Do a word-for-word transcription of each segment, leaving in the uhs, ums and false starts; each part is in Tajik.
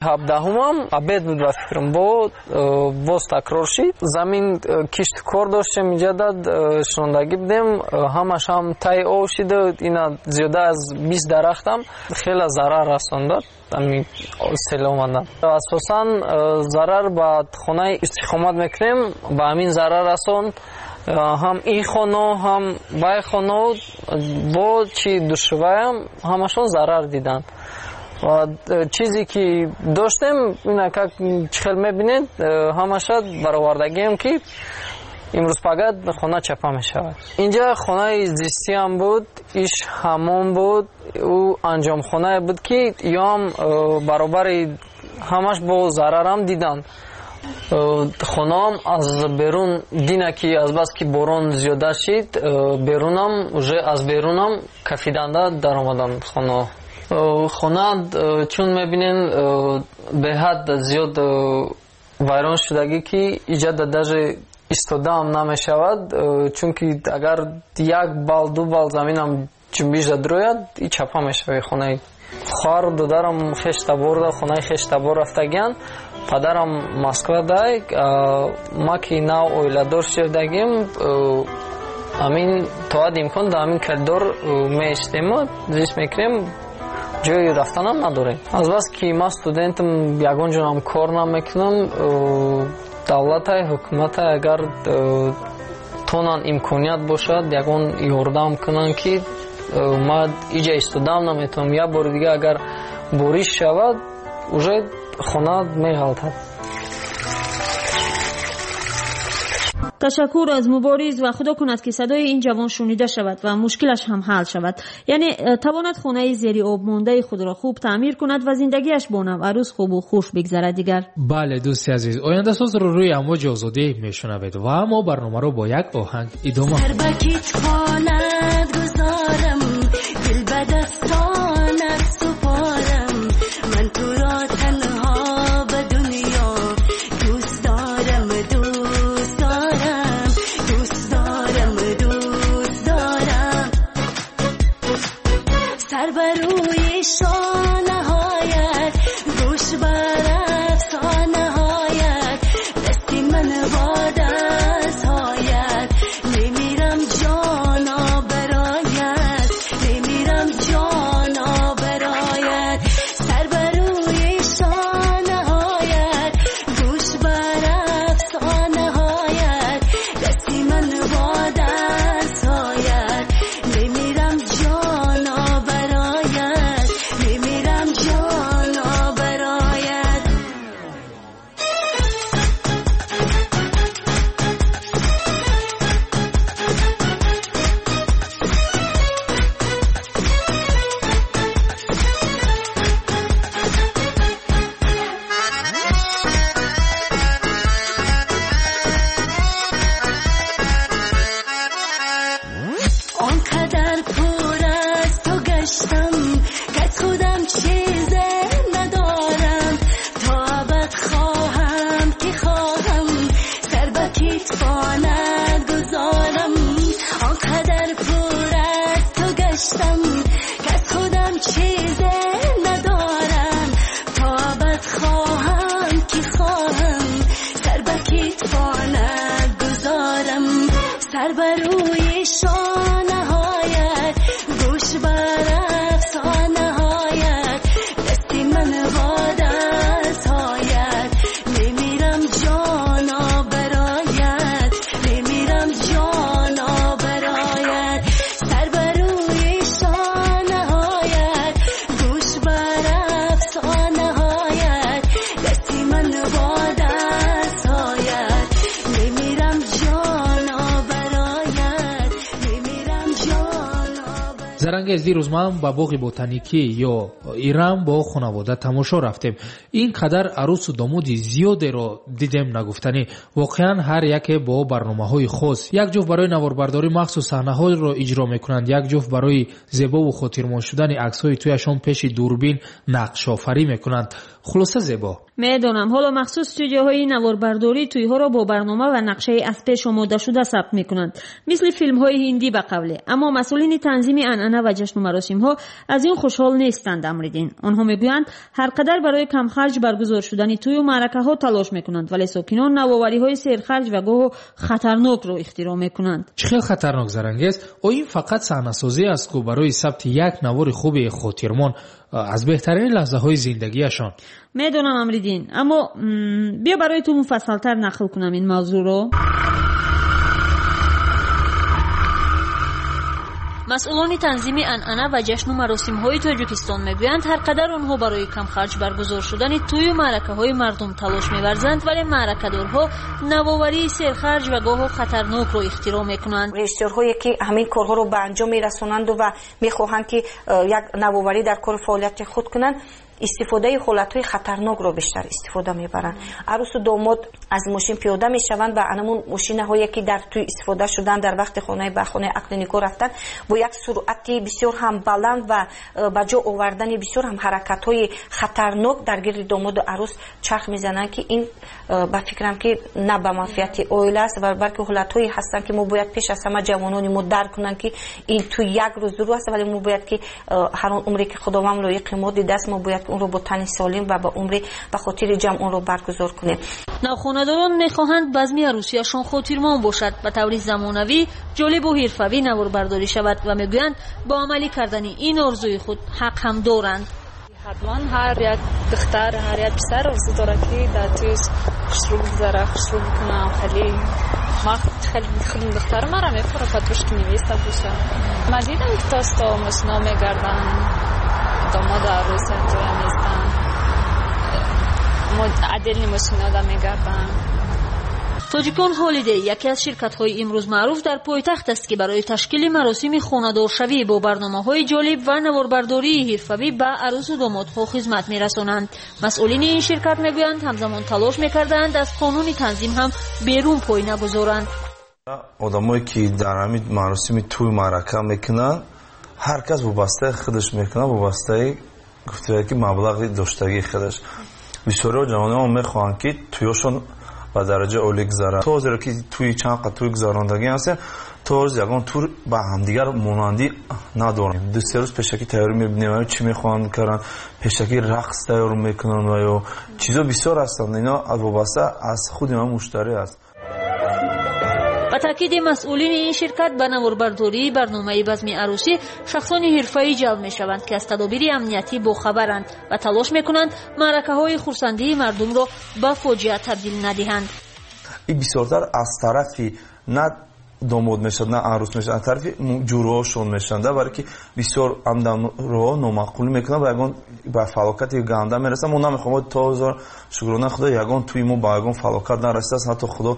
Ҳабдаҳумам обед буд ба фикрам, бо боз такрор шид. Замин кишту кор доштем, инҷа дад шунондагӣ будем, ҳамаш ҳам тай об шида, ина зиёда аз бист дарахтам хеле зарар расондад ҳамин сел омадан. Асосан зарар ба хонаи истиқомат мекунем, ба ҳамин зарар расонд. Ҳам ин хона, ҳам вай хона, бо чи душваям ҳамашон зарар диданд. Ва чизе ки доштем, ина как чихел мебинед, ҳамаша баровардагием ки имрӯз пагат хона чапа мешавад. Инҷа хонаи зистиам буд, иш ҳамом буд, ӯ анҷомхонае буд ки ёам баробари ҳамаш бо зарарам диданд. Хонаам аз берун дина ки азбаски борон зиёда шид, берунам уже аз берунам кафиданда даромаданд хона. Хона чун мебинем беҳад зиёд вайрон шудагӣ ки иҷода даже истодаам намешавад, чунки агар як бал ду бал заминам ҷунбиш дадрояд, и чапа мешавад хонаи. Хоҳару додарам хештаборда, хонаи хештабор рафтагиянд, падарам Москва дай, ма ки нав оиладор шудагим, ҳамин то ҳад имкон дар ҳамин коридор меистему зист мекунем, ҷои рафтанам надорем. Азбаски ман студентам, ягон ҷонам кор намекунам, давлатай, ҳукуматай агар тонан имконият бошад, ягон ёрдам кунанд ки ман иҷа истодам наметавонам. Як бори дига агар бориш шавад, уже хона меғалтад. Ташаккур аз Мубориз ва худо кунад ки садои ин ҷавон шунида шавад ва мушкилаш ҳам ҳал шавад. Яъне тавонад хонаи зери об мондаи худро хуб таъмир кунад ва зиндагиаш бо навъарӯз хубу хуш бигзарад дигар. Бале, дӯсти азиз, ояндасозро рӯи амвоҷи озодӣ мешунавед ва мо барномаро бо як оҳанг идома. Сар ба китфонат гузорам, дил ба дастонат супорам, ман туро танҳо ба дунё дӯст дорам, дӯст дорам, дӯст дорам, дӯст дорам. Сар ба рӯи шонаҳоят, гӯш бар афсонаҳоят, дасти ман бо дастҳоят, мемирам ҷоно бароят, мемирам ҷоно бароят. Сар ба рӯи шонаҳоят, гӯш бар афсонаҳоят, дасти ман бо дастҳоят, мемирам ҷоно бароят, мемирам ҷоно бароят. Он қадар пур аз ту гаштам, ки аз худам чизе надорам, то абад хоҳам ки хоҳам, сар ба китфонат гузорам. Он қадар пур аз ту гаштам, ки аз худам чизе надорам, то абад хоҳам ки хоҳам, сар ба китфонат гузорам. Сар ба рӯи шонаҳоят, гӯш бар афсонаҳоят, дасти ман бо дастҳоят, мемирам ҷоно бароят, мемирам ҷоно бароят. Сар ба рӯи шонаҳоят, гӯш бар афсонаҳоят, дасти ман бо дастҳоят, мемирам ҷоно бароят, мемирам ҷоно бароят. Зарангез, дирӯз ман ба боғи ботаникӣ ё Ирам бо хонавода тамошо рафтем. Ин қадар арӯсу домоди зиёдеро дидем нагуфтанӣ. Воқеан ҳар яке бо барномаҳои хос. Як ҷуфт барои наворбардорӣ махсус саҳнаҳоро иҷро мекунанд, як ҷуфт барои зебову хотирмон шудани аксҳои тӯяшон пеши дурбин нақшофарӣ мекунанд. Хулоса зебо. Медонам, ҳоло махсус студияҳои наворбардорӣ тӯйҳоро бо барнома ва нақшаи аз пеш омодашуда сабт мекунанд, мисли филмҳои ҳиндӣ ба қавле. Аммо масъулини танзими анъана ва ҷашну маросимҳо аз ин хушҳол нестанд. Амриддин. Онҳо мегӯянд, ҳар қадар барои камхарҷ баргузор шудани тӯю маъракаҳо талош мекунанд, вале сокинон навовариҳои серхарҷ ва гоҳу хатарнокро ихтироъ мекунанд. Чӣ хел хатарнок, Зарангез? О ин фақат саҳнасозӣ аст, ку барои сабти як навори хуби хотирмон аз беҳтарин лаҳзаҳои зиндагиашон. Медонам, Амриддин, аммо биё барои ту муфассалтар нақл кунам ин мавзӯъро. Масъулони танзими анъана ва ҷашну маросимҳои Тоҷикистон мегӯянд, ҳар қадар онҳо барои камхарҷ баргузор шудани тӯю маъракаҳои мардум талош меварзанд, вале маъракадорҳо навоварии серхарҷ ва гоҳо хатарнокро ихтироъ мекунанд. Режиссёрҳое ки ҳамин корҳоро ба анҷом мерасонанду ва мехоҳанд ки як навоварӣ дар кори фаъолияти худ кунанд, истифодаи ҳолатҳои хатарнокро бештар истифода мебаранд. Арӯсу домод аз мошин пиёда мешаванд ва анамун мошинаҳое ки дар тӯй истифода шуданд, дар вақти хонаи ба хонаи ақли никоҳ рафтан, бо як суръати бисёр ҳам баланд ва ба ҷо овардани бисёр ҳам ҳаракатҳои хатарнок дар гирди домоду арӯс чарх мезананд, ки ин ба фикрам ки на ба манфиати оила аст, ва балки ҳолатҳое ҳастанд ки мо бояд пеш аз ҳама ҷавонони мо дарк кунанд, ки ин тӯй як рӯз ду рӯз аст, вале мо бояд ки ҳар он умре ки Худованд лоиқи мо дидааст, мо бояд онро бо тани солим ва ба умри ба хотири ҷамъ онро баргузор кунем. Навхонадорон мехоҳанд базми арӯсияшон хотирмон бошад, ба таври замонавӣ, ҷолибу ҳирфавӣ наворбардорӣ шавад ва мегӯянд бо амалӣ кардани ин орзуи худ ҳақ ҳам доранд. Ҳатман ҳар як духтар, ҳар як писар орзу дорад, ки дар тӯй хушрӯ гузара, хушрӯ бикунам. Хеле ман хеле худам духтар мара мефурам, подружки невеста боша. Ман дидам, ки то мошино мегарданд, домоду арӯс якҷоя меистанд, отдельный мошинода мегарданд. Тоҷикон Ҳолидей яке аз ширкатҳои имрӯз маъруф дар пойтахт аст, ки барои ташкили маросими хонадоршавӣ бо барномаҳои ҷолиб ва наворбардории ҳирфавӣ ба арӯсу домодҳо хизмат мерасонанд. Масъулини ин ширкат мегӯянд, ҳамзамон талош мекарданд аз қонуни танзим ҳам берун пой нагузоранд. Одамое ки дар ҳамин маросими тӯй маърака мекунанд, ҳар кас вобастаи худаш мекунад, вобастаи гуфтая ки маблағи доштагии худаш. Бисёриҳо ҷавонон мехоҳанд, ки тӯёшон ба дараҷаи олӣ гузаранд. То ҳозиро ки тӯи чанд қад тӯй гузарондагӣ ҳастем, то ҳозир ягон тур ба ҳамдигар монандӣ надорем. Ду се рӯз пешакӣ тайёрӣ мебинем, чӣ мехоҳанд каранд, пешакӣ рақс тайёр мекунанд ва ё чизо бисёр ҳастанд. Ино вобаста аз худи ман муштарӣ аст. Ба таъкиди масъулини ин ширкат, ба наворбардории барномаи базми арӯсӣ шахсони ҳирфаӣ ҷалб мешаванд, ки аз тадобири амниятӣ бохабаранд ва талош мекунанд маъракаҳои хурсандии мардумро ба фоҷиа табдил надиҳанд. Ин бисёртар аз тарафи на домод мешавад, на арӯс мешавад, аз тарафи ҷуроҳошон мешаванд, барое ки бисёр амдамроҳо номаъқулӣ мекунанд ва ягон ба фалокати ганда мерасанд. Мо намехоҳем, то ҳозир шукрона Худо ягон тӯи мо ба ягон фалокат нарасидааст, ҳатто Худо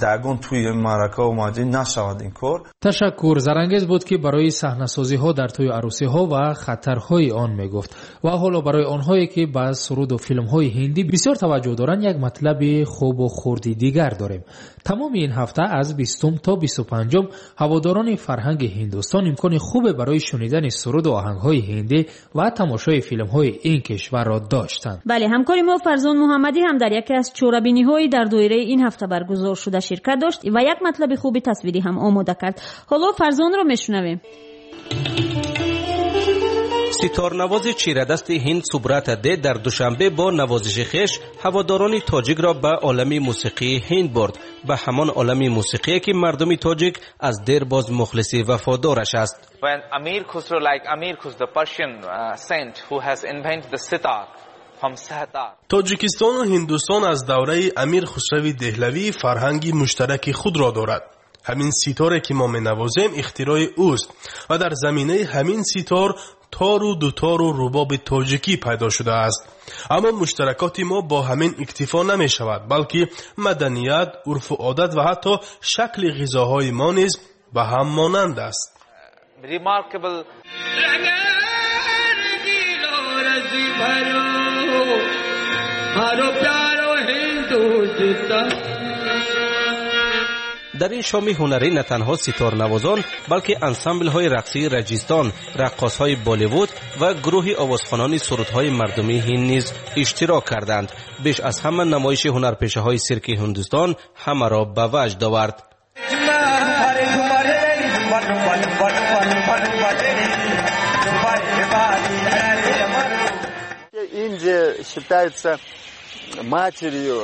дар ягон тӯи маърака ва маҷлис нашавад ин кор. Ташаккур. Зарангез буд, ки барои саҳнасозиҳо дар тӯи арӯсиҳо ва хатарҳои он мегуфт. Ва ҳоло барои онҳое ки ба суруду филмҳои ҳиндӣ бисёр таваҷҷӯҳ доранд, як матлаби хубу хурди дигар дорем. Тамоми ин ҳафта аз бистум то бисту панҷум ҳаводорони фарҳанги Ҳиндустон имкони хубе барои шунидани суруду оҳангҳои ҳиндӣ ва тамошои филмҳои ин кишварро доштанд. Бале, ҳамкори мо Фарзон Муҳаммадӣ ҳам дар яке аз чорабиниҳои дар доираи ин ҳафта баргузор шуда ширкат дошт ва як матлаби хуби тасвирӣ ҳам омода кард. Ҳоло Фарзонро мешунавем. Ситорнавози чирадасти ҳинд Субрата Де дар Душанбе бо навозиши хеш ҳаводорони тоҷикро ба олами мусиқии ҳинд бурд, ба ҳамон олами мусиқие ки мардуми тоҷик аз дербоз мухлиси вафодораш аст. When Amir Khusro, like Amir Khusro, the Persian uh, saint who has invented the sitar, Тоҷикистону Ҳиндустон аз давраи Амир Хусрави Деҳлавӣ фарҳанги муштараки худро дорад. Ҳамин ситоре ки мо менавозем ихтирои ӯст ва дар заминаи ҳамин ситор тору дутору рубоби тоҷикӣ пайдо шудааст. Аммо муштаракоти мо бо ҳамин иктифо намешавад, балки маданият, урфу одат ва ҳатто шакли ғизоҳои мо низ ба ҳам монанд аст. Remarkable Дар ин шоми ҳунарӣ на танҳо ситорнавозон, балки ансамблҳои рақсии Раҷистон, раққосҳои Болливуд ва гурӯҳи овозхонони сурудҳои мардумии ҳинд низ иштирок карданд. Беш аз ҳама намоиши ҳунарпешаҳои сирки Ҳиндустон ҳамаро ба ваҷд овард. считается матерью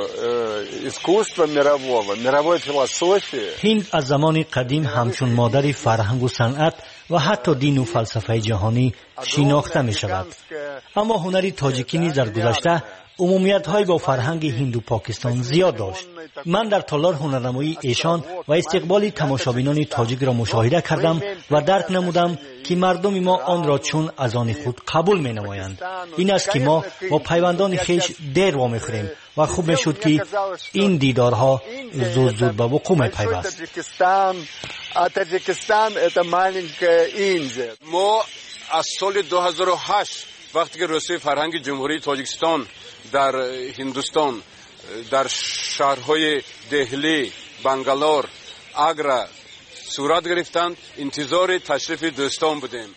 искусства мирового, мировой философии. Ҳинд аз замони қадим ҳамчун модари фарҳангу санъат ва ҳатто дину фалсафаи ҷаҳонӣ шинохта мешавад. Аммо ҳунари тоҷикӣ низ дар гузашта умумиятҳое бо фарҳанги ҳинду Покистон зиёд дошт. Ман дар толор ҳунарнамоии эшон ва истиқболи тамошобинони тоҷикро мушоҳида кардам ва дарк намудам, ки мардуми мо онро чун аз они худ қабул менамоянд. Ин аст, ки мо бо пайвандони хеш дер вомехӯрем ва хуб мешуд, ки ин дидорҳо зуд-зуд ба вуқӯъ мепайваст. Мо аз соли ду ҳазору ҳашт, вақте ки Рӯзҳои фарҳанги Ҷумҳурии Тоҷикистон дар Ҳиндустон, дар шаҳрҳои Деҳлӣ, Бангалор, Агра сурат гирифтанд, интизори ташрифи дӯстон будем.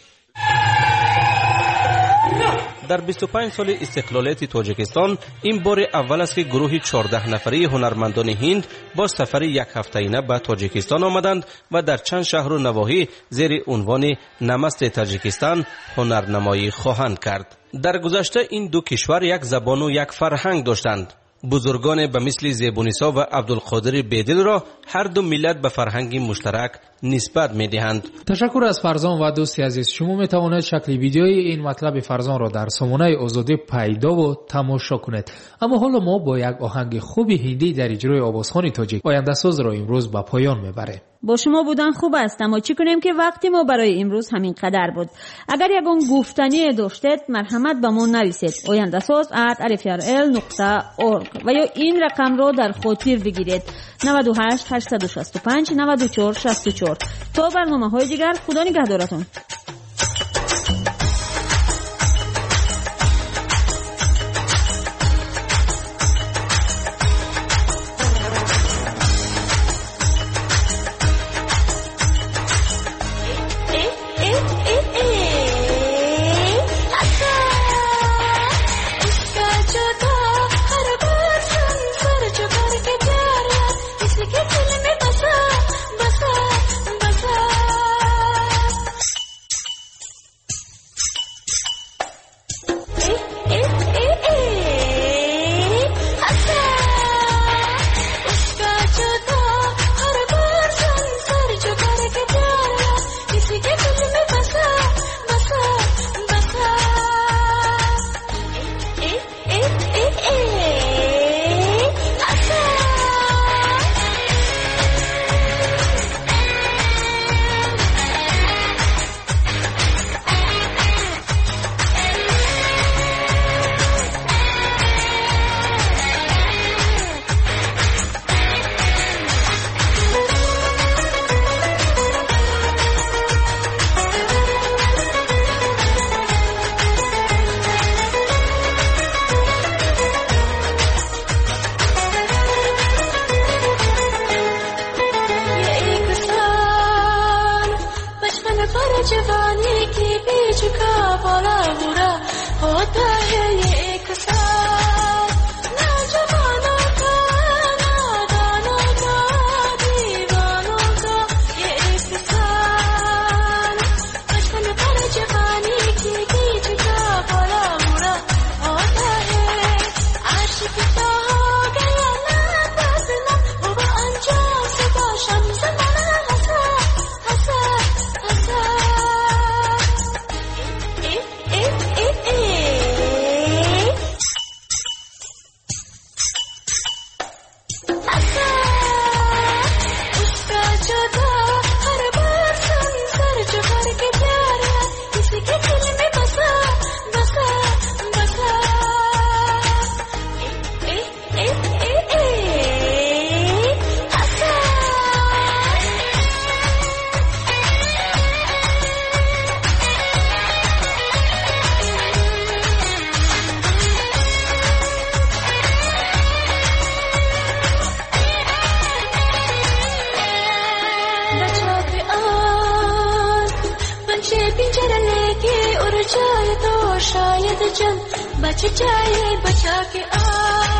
Дар бисту панҷ соли истиқлолияти Тоҷикистон ин бори аввал аст, ки гурӯҳи чордаҳ нафарии ҳунармандони ҳинд бо сафари якҳафтаина ба Тоҷикистон омаданд ва дар чанд шаҳру навоҳӣ зери унвони Намасте Таҷикистан ҳунарнамоӣ хоҳанд кард. Дар гузашта ин ду кишвар як забону як фарҳанг доштанд. Бузургоне ба мисли Зебунисо ва Абдулқодири Бедилро ҳар ду миллат ба фарҳанги муштарак нисбат медиҳанд. Ташаккур аз Фарзон ва дӯсти азиз, шумо метавонед шакли видеои ин матлаби Фарзонро дар сомонаи Озодӣ пайдову тамошо кунед. Аммо ҳоло мо бо як оҳанги хуби ҳиндӣ дар иҷрои овозхони тоҷик Ояндасозро имрӯз ба поён мебарем. Бо шумо будан хуб аст, аммо чӣ кунем, ки вақти мо барои имрӯз ҳамин қадар буд. Агар ягон гуфтание доштед, марҳамат ба мо нависед: ояндасоз at rfrl нуқта org ва ё ин рақамро дар хотир бигиред: наваду ҳашт ҳаштсаду шасту панҷ наваду чор шасту чор. То барномаҳои дигар, худо нигаҳдоратон. जवानी के बीच का बड़ा बुरा होता है ये एक साल, ना जवानों का ना दानों का दीवानों का ये एक साल। बचपन पर जवानी के बीच का बड़ा बुरा होता है। आशिक तो हो गया ना बदनाम, वो अंजाम सुबह शाम जमाना हंसा हंसा हंसा। ए ए ए हंसा उसका जुदा हर बार संसार जो करके प्यारा किसी के दिल में बसा बसा बसा। ए ए ए ए हंसा। बचा के आन पंछी पिंजरा लेके उड़ जाए तो शायद जन बच जाए। बचा के आन